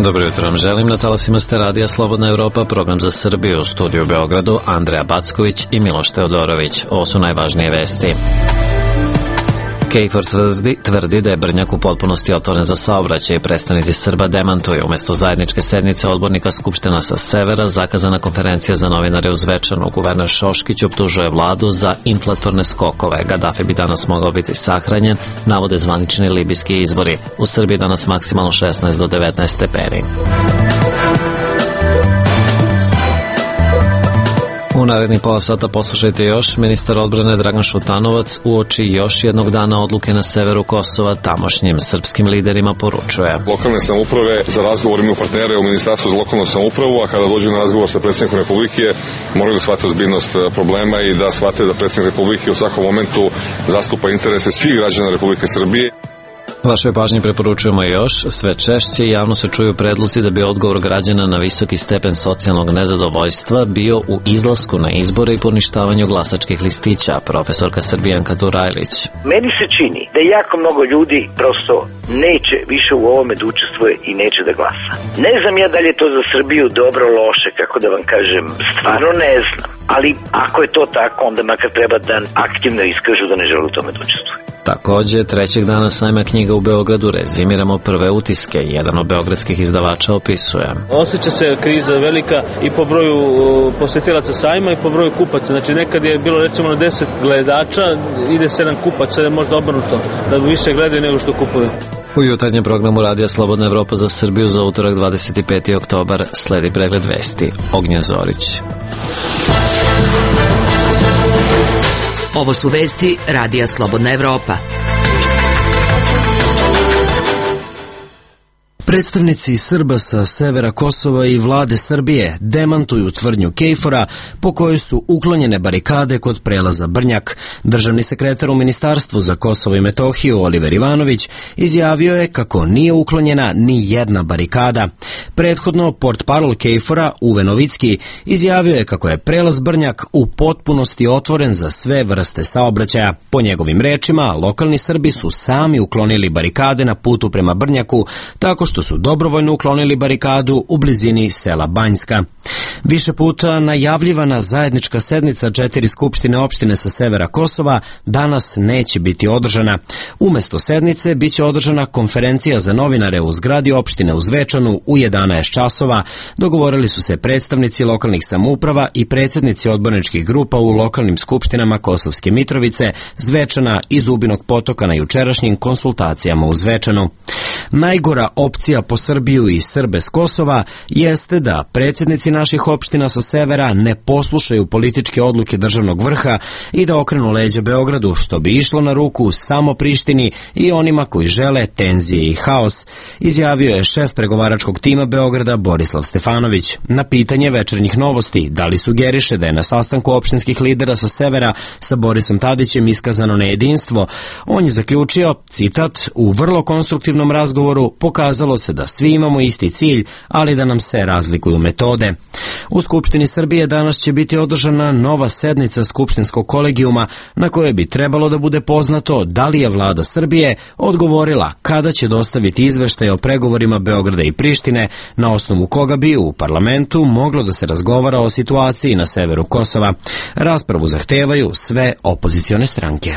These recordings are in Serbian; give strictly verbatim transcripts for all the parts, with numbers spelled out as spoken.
Dobro jutro vam želim. Na talasima ste radija Slobodna Evropa, program za Srbiju, u studiju u Beogradu Andreja Backović i Miloš Teodorović. Ovo su najvažnije vesti. KFOR tvrdi, tvrdi da je Brnjak u potpunosti otvoren za saobraćaj i predstavnici Srba demantuju. Umesto zajedničke sednice odbornika Skupština sa severa, zakazana konferencija za novinare u Zvečanu. Guverner Šoškić optužuje vladu za inflatorne skokove. Gadafi bi danas mogao biti sahranjen, navode zvanični libijski izbori. U Srbiji danas maksimalno šesnaest do devetnaest stepeni. U narednih pola sata poslušajte još. Ministar odbrane Dragan Šutanovac uoči još jednog dana odluke na severu Kosova tamošnjim srpskim liderima poručuje. Lokalne samouprave za razgovor imaju partnere u Ministarstvu za lokalnu samoupravu, a kada dođe na razgovor sa predsjednikom Republike moraju da shvate ozbiljnost problema i da shvate da predsjednik Republike u svakom momentu zastupa interese svih građana Republike Srbije. Vašoj pažnji preporučujemo još, sve češće javno se čuju predlozi da bi odgovor građana na visoki stepen socijalnog nezadovoljstva bio u izlasku na izbore i poništavanju glasačkih listića, profesorka Srbijanka Turajlić. Meni se čini da jako mnogo ljudi prosto neće više u ovome da učestvuje i neće da glasa. Ne znam ja da li je to za Srbiju dobro, loše, kako da vam kažem, stvarno ne znam. Ali ako je to tako, onda makar treba da aktivno iskažu da ne žele u tome da učestvuju. Takođe, trećeg dana sajma knjiga u Beogradu rezimiramo prve utiske. Jedan od beogradskih izdavača opisuje. Osjeća se kriza velika i po broju posetilaca sajma i po broju kupaca. Znači nekad je bilo recimo na deset gledača, ide sedam kupaca, sada je možda obrnuto, da više gledaju nego što kupuju. U jutarnjem programu radija Slobodna Evropa za Srbiju za utorak dvadeset peti oktobar sledi pregled vesti. Ognjen Zorić. Ovo su vesti radija Slobodna Evropa. Predstavnici Srba sa severa Kosova i vlade Srbije demantuju tvrdnju KFOR-a po kojoj su uklonjene barikade kod prelaza Brnjak. Državni sekretar u Ministarstvu za Kosovo i Metohiju Oliver Ivanović izjavio je kako nije uklonjena ni jedna barikada. Prethodno, portparol KFOR-a Uwe Novicki izjavio je kako je prelaz Brnjak u potpunosti otvoren za sve vrste saobraćaja. Po njegovim rečima, lokalni Srbi su sami uklonili barikade na putu prema Brnjaku, tako što su dobrovoljno uklonili barikadu u blizini sela Banjska. Više puta najavljivana zajednička sednica četiri skupštine opštine sa severa Kosova danas neće biti održana. Umesto sednice biće održana konferencija za novinare u zgradi opštine u Zvečanu u jedanaest časova. Dogovorili su se predstavnici lokalnih samouprava i predsjednici odborničkih grupa u lokalnim skupštinama Kosovske Mitrovice, Zvečana i Zubinog Potoka na jučerašnjim konsultacijama u Zvečanu. Najgora opcija po Srbiju i Srbe s Kosova jeste da predsjednici naših opština sa severa ne poslušaju političke odluke državnog vrha i da okrenu leđa Beogradu, što bi išlo na ruku samo Prištini i onima koji žele tenzije i haos, izjavio je šef pregovaračkog tima Beograda Borislav Stefanović. Na pitanje Večernjih novosti da li sugeriše da je na sastanku opštinskih lidera sa severa sa Borisom Tadićem iskazano nejedinstvo, on je zaključio, citat, u vrlo konstruktivnom razgovoru pokazalo se da svi imamo isti cilj, ali da nam se razlikuju metode. U Skupštini Srbije danas će biti održana nova sednica Skupštinskog kolegijuma na kojoj bi trebalo da bude poznato da li je vlada Srbije odgovorila kada će dostaviti izveštaj o pregovorima Beograda i Prištine, na osnovu koga bi u parlamentu moglo da se razgovara o situaciji na severu Kosova. Raspravu zahtevaju sve opozicione stranke.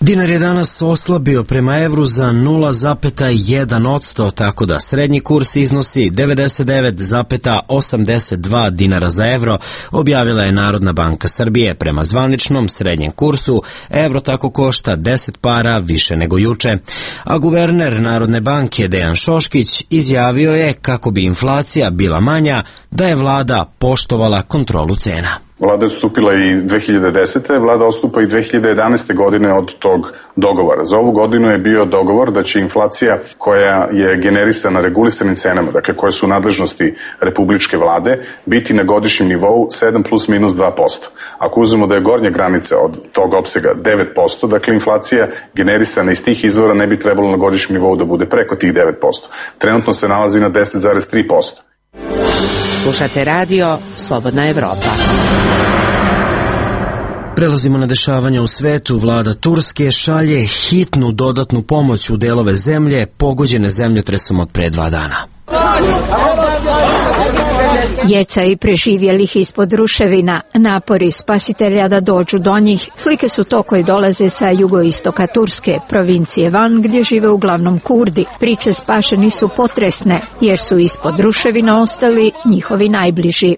Dinar je danas oslabio prema evru za nula zarez jedan posto, tako da srednji kurs iznosi devedeset devet zarez osamdeset dva dinara za evro, objavila je Narodna banka Srbije. Prema zvaničnom srednjem kursu, evro tako košta deset para više nego juče. A guverner Narodne banke Dejan Šoškić izjavio je kako bi inflacija bila manja da je vlada poštovala kontrolu cena. Vlada je odstupila i dve hiljade desete. Vlada odstupa i dve hiljade jedanaeste. godine od tog dogovora. Za ovu godinu je bio dogovor da će inflacija koja je generisana regulisanim cenama, dakle koje su u nadležnosti republičke vlade, biti na godišnjem nivou sedam plus minus dva posto. Ako uzmemo da je gornja granica od tog opsega devet posto, dakle inflacija generisana iz tih izvora ne bi trebalo na godišnjem nivou da bude preko tih devet posto. Trenutno se nalazi na deset zarez tri posto. Slušate radio Slobodna Evropa. Prelazimo na dešavanja u svetu. Vlada Turske šalje hitnu dodatnu pomoć u delove zemlje pogođene zemljotresom od pre dva dana. Djeca i preživjelih ispod ruševina, napori spasitelja da dođu do njih, slike su to koje dolaze sa jugoistoka Turske, provincije Van, gdje žive uglavnom Kurdi. Priče spašeni su potresne, jer su ispod ruševina ostali njihovi najbliži.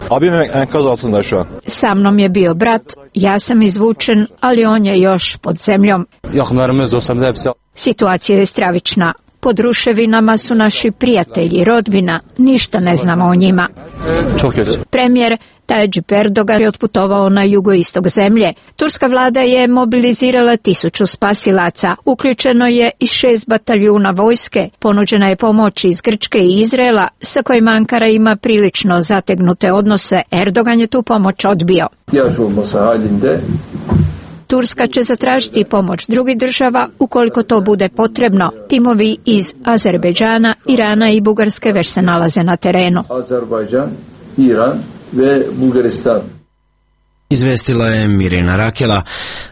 Sa mnom je bio brat, ja sam izvučen, ali on je još pod zemljom. Situacija je stravična. Pod ruševinama su naši prijatelji, rodbina, ništa ne znamo o njima. Premijer Tayyip Erdogan je otputovao na jugoistok zemlje. Turska vlada je mobilizirala tisuću spasilaca. Uključeno je i šest bataljuna vojske. Ponuđena je pomoć iz Grčke i Izraela, sa kojima Ankara ima prilično zategnute odnose. Erdogan je tu pomoć odbio. Turska će zatražiti pomoć drugih država ukoliko to bude potrebno. Timovi iz Azerbejdžana, Irana i Bugarske već se nalaze na terenu. Azerbaycan, İran ve Bulgaristan. Izvestila je Mirina Rakela.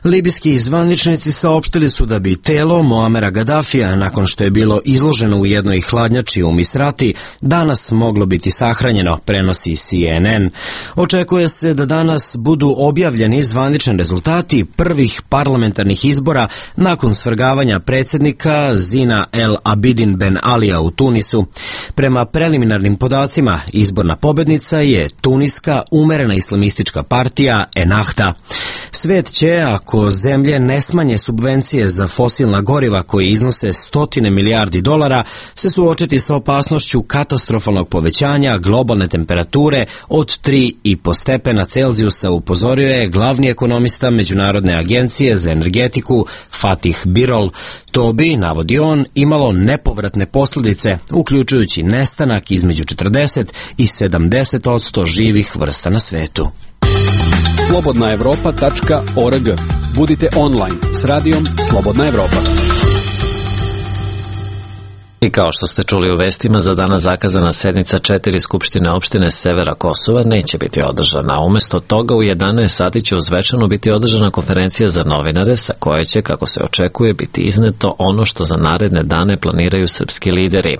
Libijski zvaničnici saopštili su da bi telo Muamera Gadafija, nakon što je bilo izloženo u jednoj hladnjači u Misrati, danas moglo biti sahranjeno, prenosi C N N. Očekuje se da danas budu objavljeni zvanični rezultati prvih parlamentarnih izbora nakon svrgavanja predsjednika Zina El Abidin Ben Alija u Tunisu. Prema preliminarnim podacima, izborna pobednica je tuniska umerena islamistička partija Ennahda. Svet će, ako zemlje ne smanje subvencije za fosilna goriva koje iznose stotine milijardi dolara, se suočiti sa opasnošću katastrofalnog povećanja globalne temperature od tri i po stepena Celzijusa, upozorio je glavni ekonomista Međunarodne agencije za energetiku Fatih Birol. To bi, navodi on, imalo nepovratne posljedice, uključujući nestanak između četrdeset i sedamdeset odsto živih vrsta na svetu. slobodna evropa tačka org. Budite online s radijom Slobodna Evropa. I kao što ste čuli u vestima, za danas zakazana sednica četiri skupštine opštine severa Kosova neće biti održana. Umesto toga u jedanaest sati će u Zvečanu biti održana konferencija za novinare sa koje će, kako se očekuje, biti izneto ono što za naredne dane planiraju srpski lideri.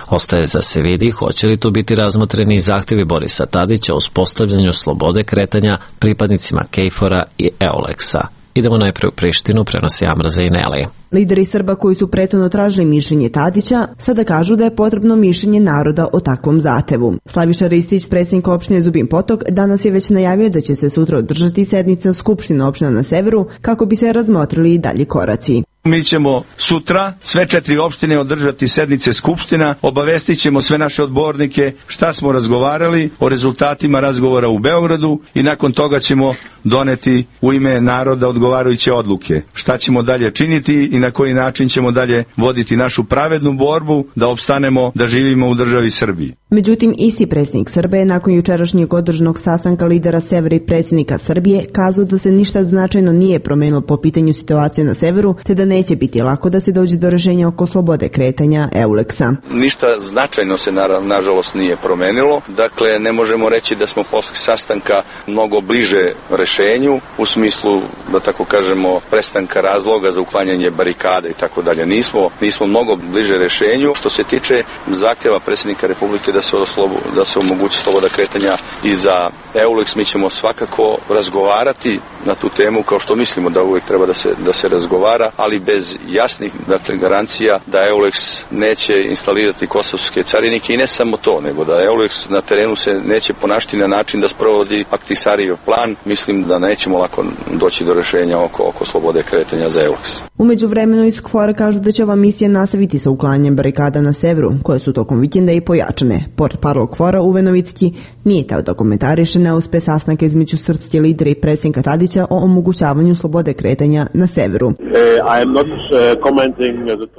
Ostaje za se vidi hoće li tu biti razmotreni zahtjevi Borisa Tadića o uspostavljanju slobode kretanja pripadnicima Kejfora i Euleksa. Idemo najprije u Prištinu, prenosi Amraza i Neli. Lideri Srba koji su prethodno tražili mišljenje Tadića sada kažu da je potrebno mišljenje naroda o takvom zahtevu. Slaviša Ristić, predsjednik opštine Zubin Potok, danas je već najavio da će se sutra održati sednica Skupštine opština na severu kako bi se razmotrili i dalji koraci. Mi ćemo sutra sve četiri opštine održati sednice Skupština, obavestit ćemo sve naše odbornike šta smo razgovarali o rezultatima razgovora u Beogradu i nakon toga ćemo doneti u ime naroda odgovarajuće odluke. Šta ćemo dalje činiti i na koji način ćemo dalje voditi našu pravednu borbu da opstanemo, da živimo u državi Srbiji. Međutim, isti predsjednik Srbije nakon jučerašnjeg održanog sastanka lidera severa i predsjednika Srbije kazao da se ništa značajno nije promenilo po pitanju situacije na severu, te da neće biti lako da se dođe do rešenja oko slobode kretanja Euleksa. Ništa značajno se na, nažalost nije promenilo, dakle ne možemo reći da smo posle sastanka mnogo bliže rešenju u smislu, da tako kažemo, prestanka razloga za uklanjanje barikada i tako dalje. Nismo, nismo mnogo bliže rešenju. Što se tiče zahtjeva predsjednika Republike da se, oslobu, da se omogući sloboda kretanja i za Euleks, mi ćemo svakako razgovarati na tu temu kao što mislimo da uvijek treba da se, da se razgovara, ali bez jasnih, dakle, garancija da Euleks neće instalirati kosovske carinike i ne samo to, nego da Euleks na terenu se neće ponašati na način da sprovodi Ahtisarijev plan. Mislim da nećemo lako doći do rešenja oko, oko slobode kretanja za Euleks. U međuvremenu iz KFOR-a kažu da će ova misija nastaviti sa uklanjanjem barikada na severu, koje su tokom vikenda i pojačane. Portparol KFOR-a Uve Novicki nije teo da komentariše neuspeh sastanka između srpske lidera i predsjednika Tadića o omogućavanju slobode kretanja na severu.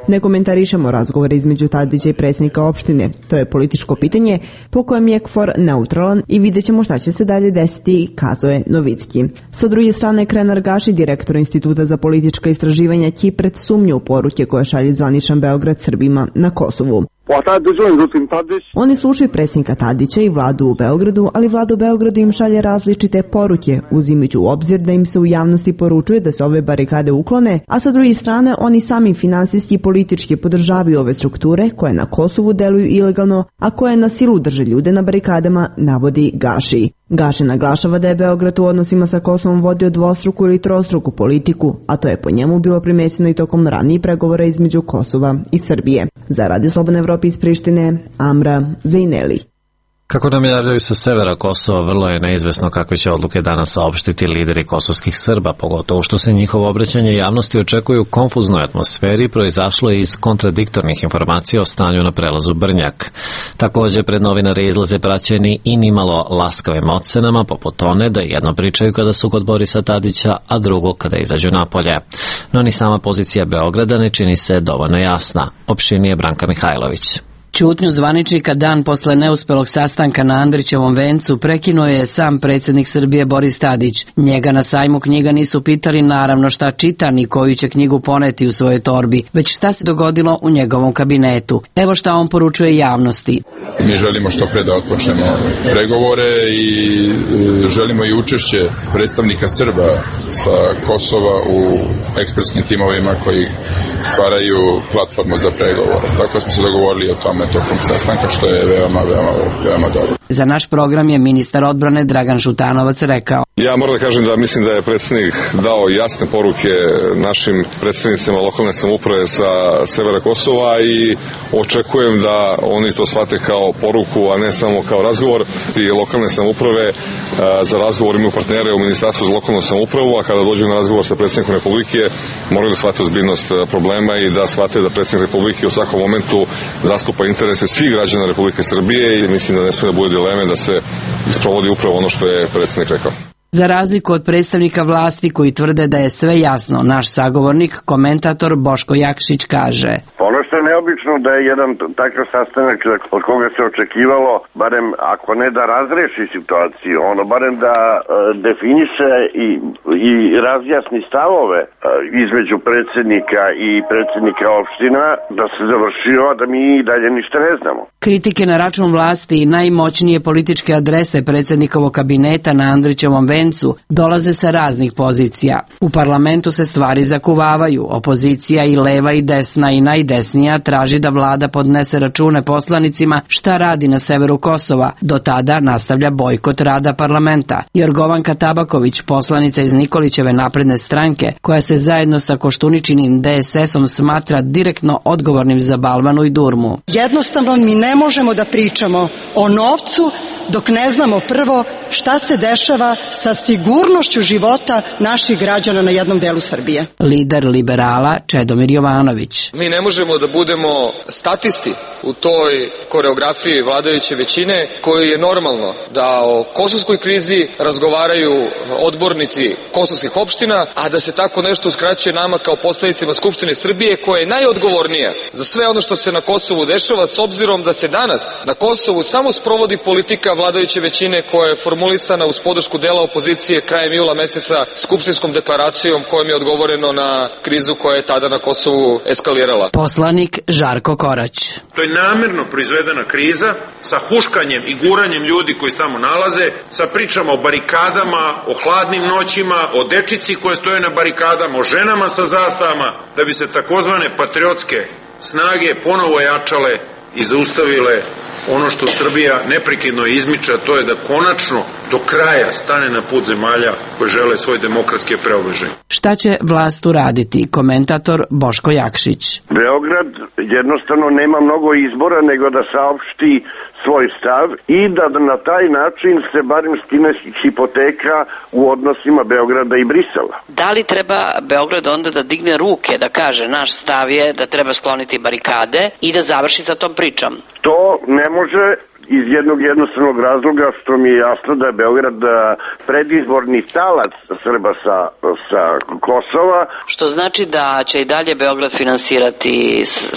Ne komentarišemo razgovore između Tadića i predsjednika opštine. To je političko pitanje po kojem je KFOR neutralan i vidjet ćemo šta će se dalje desiti, kazao je Novicki. Sa druge strane, Krenar Gaši, direktor Instituta za politička istraživanja, će pred sumnju u poruke koje šalje zvaničan Beograd Srbima na Kosovu. Oni slušaju predsjednika Tadića i vladu u Beogradu, ali vlada u Beogradu im šalje različite poruke, uzimajući u obzir da im se u javnosti poručuje da se ove barikade uklone, a sa druge strane oni sami finansijski i politički podržavaju ove strukture koje na Kosovu deluju ilegalno, a koje na silu drže ljude na barikadama, navodi Gaši. Gaši naglašava da je Beograd u odnosima sa Kosovom vodio dvostruku ili trostruku politiku, a to je po njemu bilo primećeno i tokom ranijih pregovora između Kosova i Srbije. Za Radio Slobodne Evrope iz Prištine, Amra Zejneli. Kako nam javljaju sa severa Kosova, vrlo je neizvesno kakve će odluke danas saopštiti lideri kosovskih Srba, pogotovo što se njihovo obraćanje javnosti očekuje u konfuznoj atmosferi, proizašlo je iz kontradiktornih informacija o stanju na prelazu Brnjak. Također, pred novinare izlaze praćeni i nimalo laskavim ocenama, poput one da jedno pričaju kada su kod Borisa Tadića, a drugo kada izađu napolje. No ni sama pozicija Beograda ne čini se dovoljno jasna. Opširnije Branka Mihajlović. Ćutnju zvaničnika dan posle neuspelog sastanka na Andrićevom vencu prekinuo je sam predsjednik Srbije Boris Tadić. Njega na sajmu knjiga nisu pitali naravno šta čita ni koju će knjigu poneti u svojoj torbi, već šta se dogodilo u njegovom kabinetu. Evo šta on poručuje javnosti. Mi želimo što pre da otpočnemo pregovore i želimo i učešće predstavnika Srba sa Kosova u ekspertskim timovima koji stvaraju platformu za pregovore. Tako smo se dogovorili o tome tokom sastanka, što je veoma, veoma, veoma dobro. Za naš program je ministar odbrane Dragan Šutanovac rekao. Ja moram da kažem da mislim da je predsjednik dao jasne poruke našim predstavnicima lokalne samouprave sa severa Kosova i očekujem da oni to shvate kao poruku, a ne samo kao razgovor. I lokalne samouprave za razgovor imaju partnere u Ministarstvu za lokalnu samoupravu, a kada dođu na razgovor sa predsjednikom Republike moraju da shvate ozbiljnost problema i da shvate da predsjednik Republike u svakom momentu zastupa interese svih građana Republike Srbije i mislim da ne smije da bude dileme da se isprovodi upravo ono što je predsjednik rekao. Za razliku od predstavnika vlasti koji tvrde da je sve jasno, naš sagovornik, komentator Boško Jakšić kaže. Ono što je neobično da je jedan takav sastanak od koga se očekivalo, barem ako ne da razreši situaciju, ono barem da e, definiše i, i razjasni stavove e, između predsjednika i predsjednika opština, da se završio, a da mi i dalje ništa ne znamo. Kritike na račun vlasti i najmoćnije političke adrese predsjednikovog kabineta na Andrićevom vencu dolaze sa raznih pozicija. U parlamentu se stvari zakuvavaju, opozicija i leva i desna i najdesnija traži da vlada podnese račune poslanicima šta radi na severu Kosova. Do tada nastavlja bojkot rada parlamenta. Jorgovanka Tabaković, poslanica iz Nikolićeve napredne stranke, koja se zajedno sa Koštuničinim D S S-om smatra direktno odgovornim za balvanu i durmu. Jednostavno mi ne možemo da pričamo o novcu dok ne znamo prvo šta se dešava sa sigurnošću života naših građana na jednom delu Srbije. Lider liberala Čedomir Jovanović. Mi ne možemo da budemo statisti u toj koreografiji vladajuće većine koji je normalno da o kosovskoj krizi razgovaraju odbornici kosovskih opština, a da se tako nešto uskraćuje nama kao poslanicima Skupštine Srbije koja je najodgovornija za sve ono što se na Kosovu dešava, s obzirom da se danas na Kosovu samo sprovodi politika vladajuće većine koja je formulisana uz podršku dela opozicije krajem jula meseca skupštinskom deklaracijom kojom je odgovoreno na krizu koja je tada na Kosovu eskalirala. Poslanik Žarko Korać. To je namerno proizvedena kriza sa huškanjem i guranjem ljudi koji se tamo nalaze, sa pričama o barikadama, o hladnim noćima, o dečici koje stoje na barikadama, o ženama sa zastavama, da bi se takozvane patriotske snage ponovo jačale i zaustavile ono što Srbija neprekidno izmiče, a to je da konačno do kraja stane na put zemalja koje žele svoj demokratski preobražaj. Šta će vlast uraditi? Komentator Boško Jakšić. Beograd jednostavno nema mnogo izbora nego da saopšti svoj stav i da na taj način se barem skine hipoteka u odnosima Beograda i Brisela. Da li treba Beograd onda da digne ruke, da kaže naš stav je da treba skloniti barikade i da završi sa tom pričom? To ne može iz jednog jednostavnog razloga što mi je jasno da je Beograd predizborni talac Srba sa, sa Kosova. Što znači da će i dalje Beograd finansirati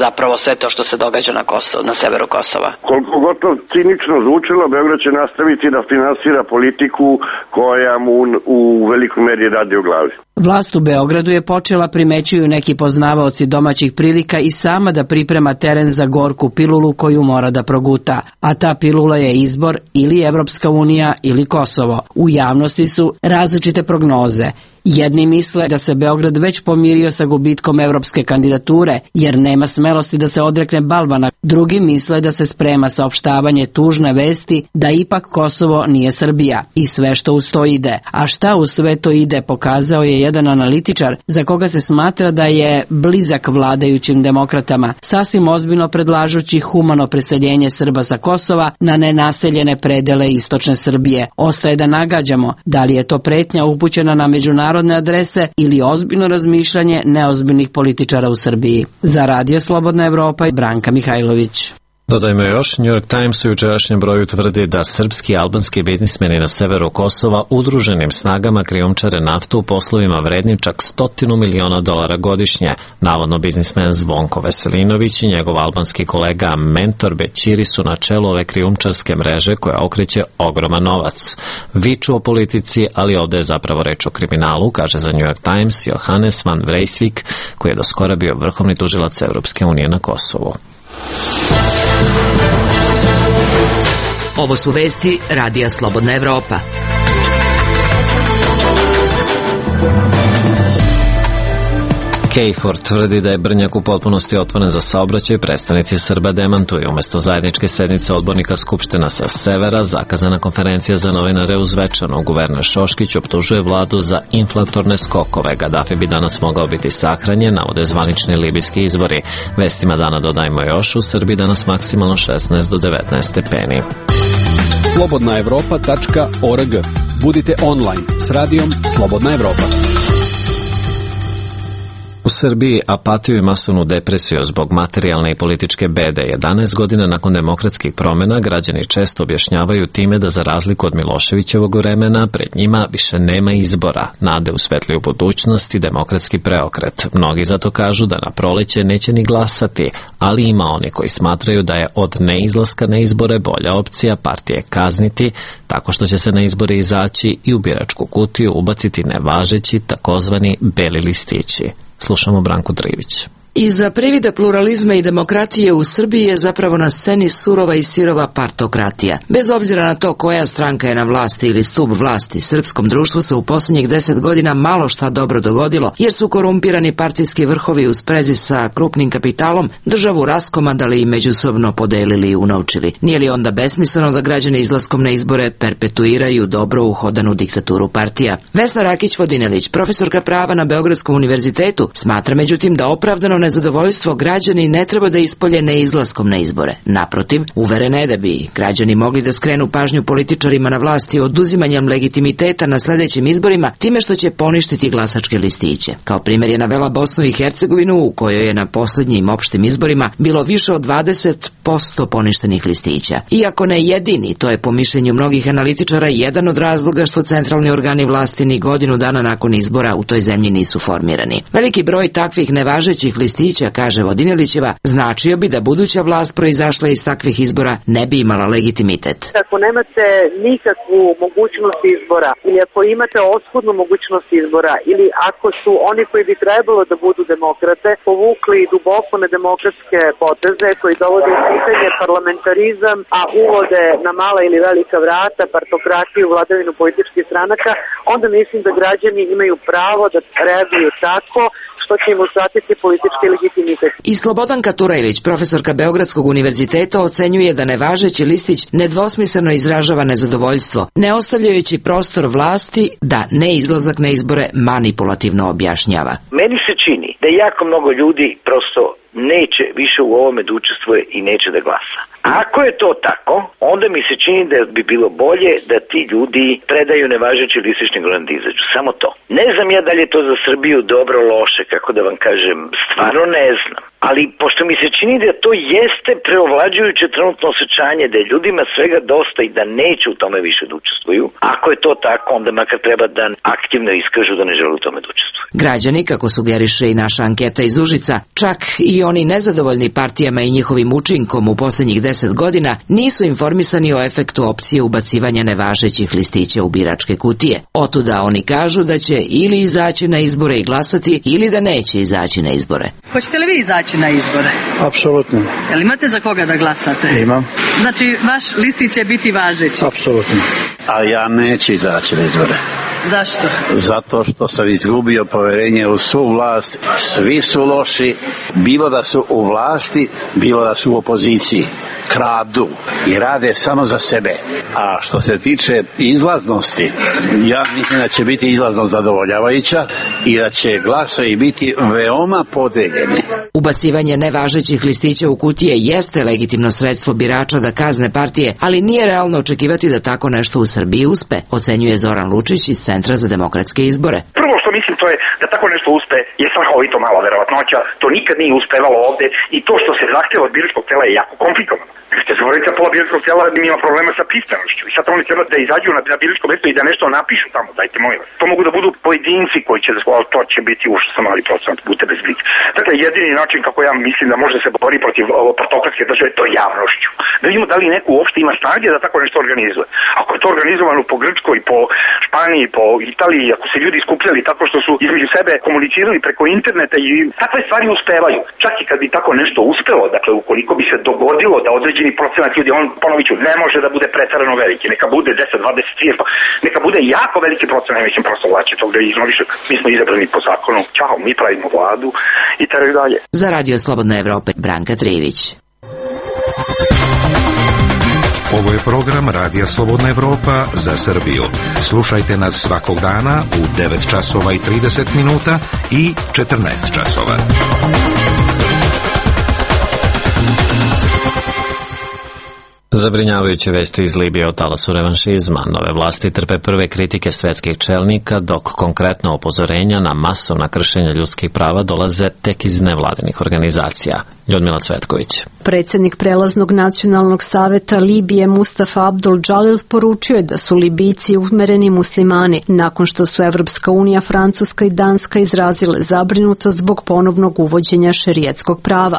zapravo sve to što se događa na Kosovu, na severu Kosova. Koliko god to cinično zvučilo, Beograd će nastaviti da finansira politiku koja mu u velikoj meri radi u glavi. Vlast u Beogradu je počela, primećuju neki poznavaoci domaćih prilika, i sama da priprema teren za gorku pilulu koju mora da proguta. A ta pilula je izbor ili Evropska unija ili Kosovo. U javnosti su različite prognoze. Jedni misle da se Beograd već pomirio sa gubitkom evropske kandidature, jer nema smelosti da se odrekne balvana. Drugi misle da se sprema saopštavanje tužne vesti da ipak Kosovo nije Srbija i sve što uz to ide. A šta uz sve to ide pokazao je jedan analitičar za koga se smatra da je blizak vladajućim demokratama, sasvim ozbiljno predlažući humano preseljenje Srba sa Kosova na nenaseljene predele istočne Srbije. Ostaje da nagađamo da li je to pretnja upućena na međunarodne narodne adrese ili ozbiljno razmišljanje neozbiljnih političara u Srbiji. Za Radio Slobodna Evropa i Branka Mihajlović. Dodajmo još, New York Times u jučerašnjem broju tvrdi da srpski i albanski biznismeni na severu Kosova udruženim snagama krijumčare naftu u poslovima vrednim čak stotinu miliona dolara godišnje. Navodno biznismen Zvonko Veselinović i njegov albanski kolega Mentor Bećiri su na čelu ove krijumčarske mreže koja okreće ogroman novac. Viču o politici, ali ovde je zapravo reč o kriminalu, kaže za New York Times Johannes van Vreeswijk, koji je do skora bio vrhovni tužilac Evropske unije na Kosovu. Ovo su vesti Radija Slobodna Evropa. KFOR tvrdi da je Brnjak u potpunosti otvoren za saobraćaj, predstavnici Srba demantuju. Umesto zajedničke sednice odbornika Skupština sa severa, zakazana konferencija za novinare u Zvečanu. Guverner Šoškić optužuje vladu za inflatorne skokove. Gaddafi bi danas mogao biti sahranjen, navode zvanični libijski izvori. Vestima dana dodajmo još, u Srbiji danas maksimalno šesnaest do devetnaest stepeni. slobodna evropa tačka org. Budite online s radijom Slobodna Evropa. U Srbiji apatiju i masovnu depresiju zbog materijalne i političke bede jedanaest godina nakon demokratskih promjena građani često objašnjavaju time da za razliku od Miloševićevog vremena pred njima više nema izbora, nade u svetliju budućnost i demokratski preokret. Mnogi zato kažu da na proleće neće ni glasati, ali ima oni koji smatraju da je od neizlaska na izbore bolja opcija partije kazniti tako što će se na izbore izaći i u biračku kutiju ubaciti nevažeći takozvani beli listići. Slušamo Branku Drivić. Iza privida pluralizma i demokratije u Srbiji je zapravo na sceni surova i sirova partokratija. Bez obzira na to koja stranka je na vlasti ili stub vlasti, srpskom društvu se u posljednjih deset godina malo šta dobro dogodilo, jer su korumpirani partijski vrhovi u sprezi sa krupnim kapitalom državu raskomadali i međusobno podelili i unovčili. Nije li onda besmisleno da građani izlaskom na izbore perpetuiraju dobro uhodanu diktaturu partija? Vesna Rakić-Vodinelić, profesorka prava na Beogradskom univerzitetu, smatra međutim da opravdano nezadovoljstvo građani ne treba da ispolje neizlaskom na izbore. Naprotiv, uverena je da bi građani mogli da skrenu pažnju političarima na vlasti oduzimanjem legitimiteta na sljedećim izborima time što će poništiti glasačke listiće. Kao primjer je navela Bosnu i Hercegovinu u kojoj je na posljednjim opštim izborima bilo više od dvadeset posto poništenih listića. Iako ne jedini, to je po mišljenju mnogih analitičara jedan od razloga što centralni organi vlasti ni godinu dana nakon izbora u toj zemlji nisu formirani. Veliki broj takvih nevažećih listića, kaže Vodinelićeva, značio bi da buduća vlast proizašla iz takvih izbora ne bi imala legitimitet. Ako nemate nikakvu mogućnost izbora ili ako imate oskudnu mogućnost izbora ili ako su oni koji bi trebalo da budu demokrate povukli duboko nedemokratske poteze koji dovode u pitanje parlamentarizam, a uvode na mala ili velika vrata partokratiju, vladavinu političkih stranaka, onda mislim da građani imaju pravo da reaguju tako što će im usatiti politički legitimitet. I Slobodanka Turajlić, profesorka Beogradskog univerziteta, ocenjuje da nevažeći listić nedvosmisleno izražava nezadovoljstvo, ne ostavljajući prostor vlasti da neizlazak na izbore manipulativno objašnjava. Meni se čini da jako mnogo ljudi prosto neće više u ovome da učestvuje i neće da glasa. Ako je to tako, onda mi se čini da bi bilo bolje da ti ljudi predaju nevažeći listić nego da izađu. Samo to. Ne znam ja da li je to za Srbiju dobro, loše, kako da vam kažem, stvarno ne znam. Ali pošto mi se čini da to jeste preovlađujuće trenutno osjećanje da je ljudima svega dosta i da neće u tome više da učestvuju, ako je to tako, onda makar treba da aktivno iskažu da ne žele u tome da učestvuju. Građani, kako sugeriše i naša anketa iz Užica, čak i oni nezadovoljni partijama i njihovim učinkom u posljednjih deset godina nisu informisani o efektu opcije ubacivanja nevažećih listića u biračke kutije. Otuda oni kažu da će ili izaći na izbore i glasati ili da neće izaći na izbore. Hoćete li vi izaći na izbore? Apsolutno. Jel imate za koga da glasate? Imam. Znači, vaš listić će biti važeći? Apsolutno. A ja neću izaći na izbore. Zašto? Zato što sam izgubio poverenje u svu vlast. Svi su loši, bilo da su u vlasti, bilo da su u opoziciji. Kradu i rade samo za sebe. A što se tiče izlaznosti, ja mislim da će biti izlaznost zadovoljavajuća i da će glasovi biti veoma podeljeni. Ubacivanje nevažećih listića u kutije jeste legitimno sredstvo birača da kazne partije, ali nije realno očekivati da tako nešto u Srbiji uspe, ocenjuje Zoran Lučić iz Centra za demokratske izbore. Prvo što mislim to je da tako nešto uspe je strahovito mala verovatnoća, to nikad nije uspevalo ovde i to što se zahteva od biračkog tela je jako komplikovano. Ste zavoriti da pola biračkog tela ima problema sa pismenošću i sad oni treba da izađu na, na biračko mesto i da nešto napišu tamo, dajte molim vas. To mogu da budu pojedinci koji će da ali to će biti ušto sa mali procent, budite bez blica. Dakle, jedini način kako ja mislim da može se bori protiv partokratske države, to je javnošću. Da vidimo da li neko uopšte ima snage da tako nešto organizuje. Ako je to organizovano po Grčkoj, po Španiji, po Italiji, ako se ljudi skupljali tako što su između sebe komunicirali preko interneta i takve stvari uspevaju. Čak i kad bi tako nešto uspelo, dakle, ukoliko bi se dogodilo da određeni procenat ljudi, on, ponovit ću, ne može da bude preterano veliki, neka bude deset, dvadeset, trideset, neka bude jako veliki procenat, ne mislim prosto vlaće tog da iznoriše. Mi smo izabrani po zakonu, čao, mi pravimo vladu i tako dalje. Za Radio Slobodna Evropa, Branka Trivić. Ovo je program Radija Slobodna Evropa za Srbiju. Slušajte nas svakog dana u devet časova i trideset minuta i četrnaest časova. Zabrinjavajuće vesti iz Libije o talasu revanšizma. Nove vlasti trpe prve kritike svetskih čelnika, dok konkretno upozorenja na masovna kršenja ljudskih prava dolaze tek iz nevladinih organizacija. Ljudmila Cvetković. Predsednik prelaznog nacionalnog saveta Libije Mustafa Abdul Džalil poručio je da su Libijci umereni muslimani nakon što su Evropska unija, Francuska i Danska izrazile zabrinutost zbog ponovnog uvođenja šerijatskog prava.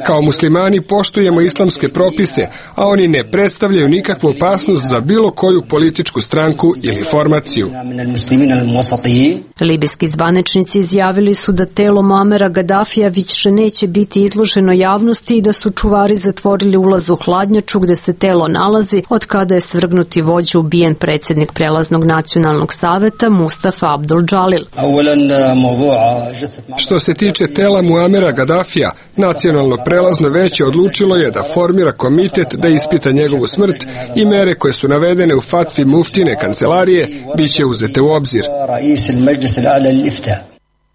Kao muslimani poštujemo islamske propise, a oni ne predstavljaju nikakvu opasnost za bilo koju političku stranku ili formaciju. Libijski zvaničnici izjavili su da telo Muamera Gadafija više neće biti izloženo javnosti i da su čuvari zatvorili ulaz u hladnjaču gde se telo nalazi od kada je svrgnuti vođa ubijen predsednik prelaznog nacionalnog saveta Mustafa Abdul Džalil. Što se tiče tela Muamera Gadafija, nacionalno prelazno veće odlučilo je da formira komitet da ispita njegovu smrt i mere koje su navedene u fatvi muftine kancelarije biće uzete u obzir.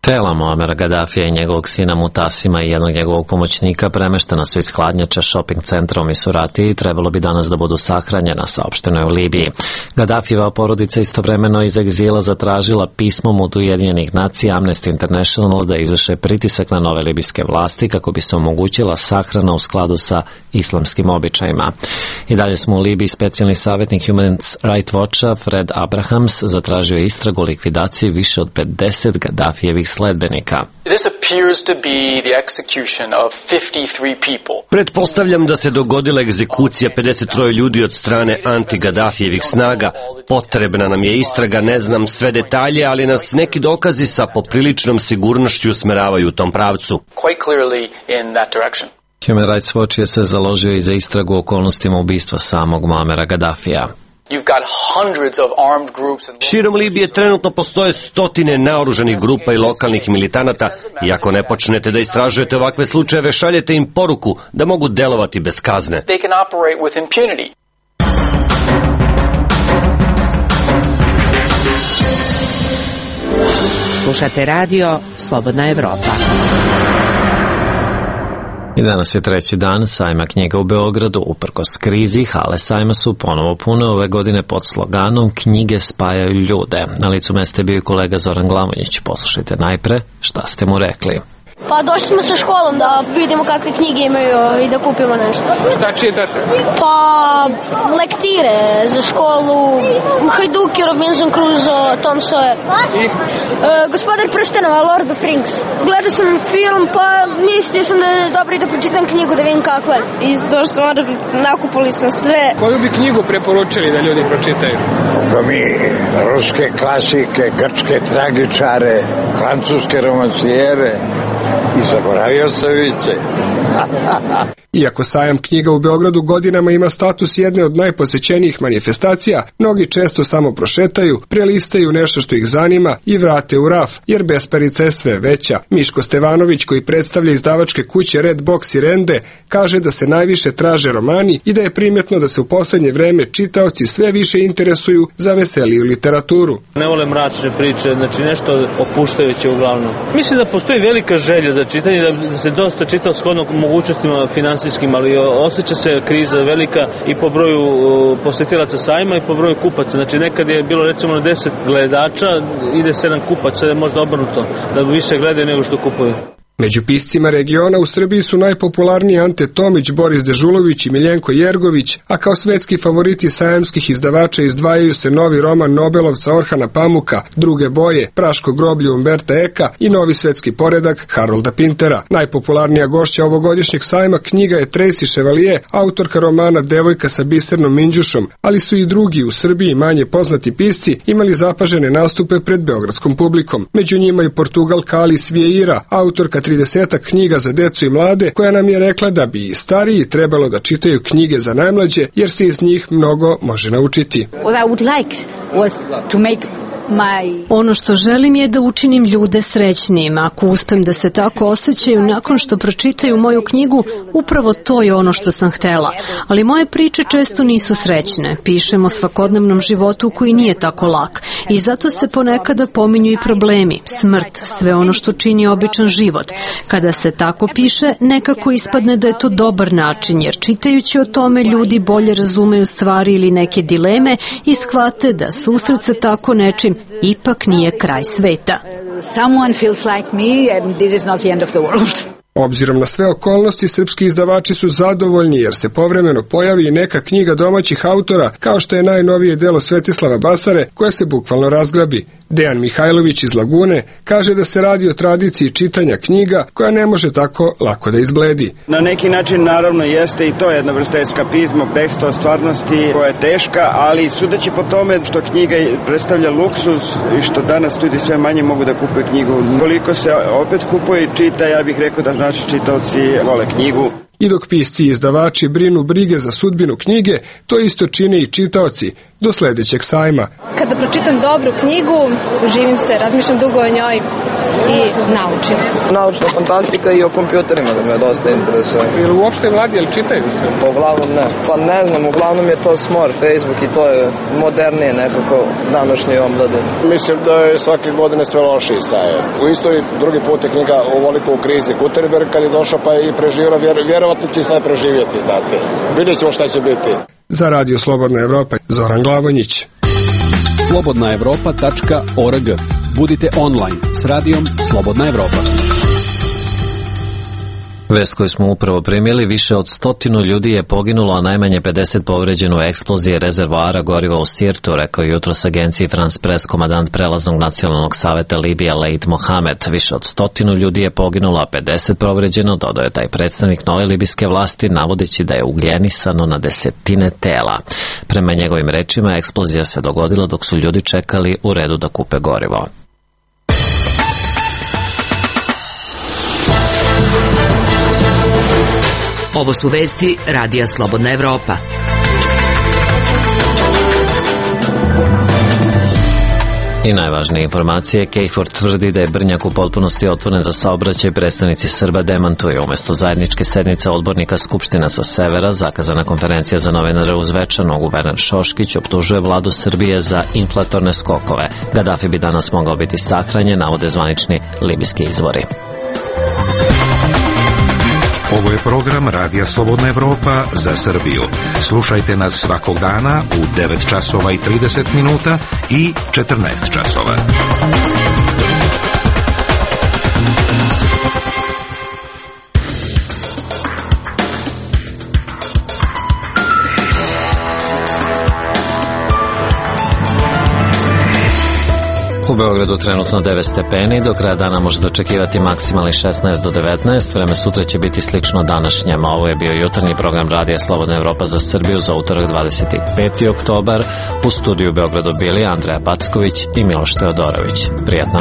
Tela Muamera Gadafija i njegovog sina Mutasima i jednog njegovog pomoćnika premeštena su iz hladnjača shopping centra u Misurati i trebalo bi danas da budu sahranjena, saopšteno je u Libiji. Gadafijeva porodica istovremeno iz egzila zatražila pismom od Ujedinjenih nacija Amnesty International da izvrše pritisak na nove libijske vlasti kako bi se omogućila sahrana u skladu sa islamskim običajima. I dalje smo u Libiji. Specijalni savjetnik Human Rights Watcha Fred Abrahams zatražio istragu o likvidaciji više od pedeset Gadafijevih sledbenika. Pretpostavljam da se dogodila egzekucija pedeset troje ljudi od strane anti-Gadafijevih snaga. Potrebna nam je istraga, ne znam sve detalje, ali nas neki dokazi sa popriličnom sigurnošću usmeravaju u tom pravcu. Human Rights Watch je se založio i za istragu okolnostima ubistva samog Muamera Gadafija. Širom Libije trenutno postoje stotine naoružanih grupa i lokalnih militanata i ako ne počnete da istražujete ovakve slučajeve, šaljete im poruku da mogu delovati bez kazne. Slušate radio Slobodna Evropa. I danas je treći dan sajma knjiga u Beogradu. Uprkos krizi, hale sajma su ponovo pune ove godine pod sloganom Knjige spajaju ljude. Na licu mesta je bio i kolega Zoran Glamonjić. Poslušajte najpre šta ste mu rekli. Pa došli smo sa školom da vidimo kakve knjige imaju i da kupimo nešto. Šta čitate? Pa lektire za školu, Hajduki, Robinson Crusoe, Tom Sawyer. I? E, Gospodar prstenova, Lord of Rings. Gledao sam film, pa mislio sam da je dobro i da pročitam knjigu, da vidim kakva je. I došli smo, nakupili smo sve. Koju bi knjigu preporučili da ljudi pročitaju? Kako mi, ruske klasike, grčke tragičare, francuske romancijere i zaboravio se viće. Iako sajam knjiga u Beogradu godinama ima status jedne od najposećenijih manifestacija, mnogi često samo prošetaju, prelistaju nešto što ih zanima i vrate u raf, jer besparica je sve veća. Miško Stevanović, koji predstavlja izdavačke kuće Red Box i Rende, kaže da se najviše traže romani i da je primjetno da se u poslednje vreme čitaoci sve više interesuju za veseliju literaturu. Ne vole mračne priče, znači nešto opuštajuće uglavnom. Mislim da postoji velika želja za čitanje, da se dosta čita shodno mogućnostima finansijskim, ali osjeća se kriza velika i po broju posetilaca sajma i po broju kupaca. Znači nekad je bilo recimo na deset gledača, ide sedam kupaca, je možda obrnuto, da više gledaju nego što kupuju. Među piscima regiona u Srbiji su najpopularniji Ante Tomić, Boris Dežulović i Miljenko Jergović, a kao svetski favoriti sajamskih izdavača izdvajaju se novi roman Nobelovca Orhana Pamuka, Druge boje, Praško groblje Umberta Eka i novi svetski poredak Harolda Pintera. Najpopularnija gošća ovogodišnjeg sajma knjiga je Tracy Chevalier, autorka romana Devojka sa bisernom minđušom, ali su i drugi u Srbiji manje poznati pisci imali zapažene nastupe pred beogradskom publikom. Među njima i Portugalka Alice Vieira, autorka tridesetak knjiga za decu i mlade, koja nam je rekla da bi i stariji trebalo da čitaju knjige za najmlađe, jer se iz njih mnogo može naučiti. Ono što želim je da učinim ljude srećnijim. Ako uspem da se tako osjećaju nakon što pročitaju moju knjigu, upravo to je ono što sam htela. Ali moje priče često nisu srećne. Pišem o svakodnevnom životu koji nije tako lak. I zato se ponekada pominju i problemi, smrt, sve ono što čini običan život. Kada se tako piše, nekako ispadne da je to dobar način, jer čitajući o tome ljudi bolje razumeju stvari ili neke dileme i shvate da susret sa tako nečim ipak nije kraj sveta. Someone feels like me and this is not the end of the world. Obzirom na sve okolnosti, srpski izdavači su zadovoljni jer se povremeno pojavi i neka knjiga domaćih autora, kao što je najnovije delo Svetislava Basare, koja se bukvalno razgrabi. Dejan Mihajlović iz Lagune kaže da se radi o tradiciji čitanja knjiga koja ne može tako lako da izbledi. Na neki način naravno jeste i to jedna vrsta eskapizma, bekstva od stvarnosti koja je teška, ali sudeći po tome što knjiga predstavlja luksuz i što danas ljudi sve manje mogu da kupuju knjigu, koliko se opet kupuje i čita, ja bih rekao da naši čitaoci vole knjigu. I dok pisci i izdavači brinu brige za sudbinu knjige, to isto čine i čitaoci do sledećeg sajma. Kada pročitam dobru knjigu, živim se, razmišljam dugo o njoj i naučim. Naučna fantastika i o kompjuterima da me dosta interesuje. Ili uopšte mladi, jel čitaju se? Pa uglavnom ne. Pa ne znam, uglavnom je to smor, Facebook i to je modernije nekako današnje omlade. Mislim da je svake godine sve lošiji sajem. U istoj drugi put je knjiga ovoliko u krizi. Gutenberg kad je došao pa je i preživio, vjerovatno će sad preživjeti, znate. Vidjet ćemo šta će biti. Za Radio Slobodna Evropa, Zoran Glavonjić. slobodna evropa tačka org. Budite online s radijom Slobodna Evropa. Vest koju smo upravo primili, više od stotinu ljudi je poginulo, a najmanje pedeset povređeno u eksploziji rezervoara goriva u Sirtu, rekao jutros agenciji France Press komandant prelaznog nacionalnog saveta Libije Leit Mohamed. Više od stotinu ljudi je poginulo, a pedeset povređeno, dodao je taj predstavnik nove libijske vlasti, navodeći da je ugljenisano na desetine tela. Prema njegovim rečima, eksplozija se dogodila dok su ljudi čekali u redu da kupe gorivo. Ovo su vesti Radija Slobodna Evropa. I najvažnije informacije, KFOR tvrdi da je Brnjak u potpunosti otvoren za saobraćaj, predstavnici Srba demantuju. Umesto zajedničke sednice odbornika Skupština sa severa, zakazana konferencija za novinare u Zvečanu, guverner Šoškić optužuje vladu Srbije za inflatorne skokove. Gadafi bi danas mogao biti sahranjen, navode zvanični libijski izvori. Ovo je program Radija Slobodna Evropa za Srbiju. Slušajte nas svakog dana u devet časova i trideset minuta i četrnaest časova. Beogradu trenutno devet stepeni, do kraja dana možete očekivati maksimalni šesnaest do devetnaest, vreme sutra će biti slično današnjem. Ovo je bio jutarnji program Radija Slobodna Evropa za Srbiju za utorak dvadeset peti oktobar. U studiju u Beogradu bili Andreja Packović i Miloš Teodorović. Prijetno.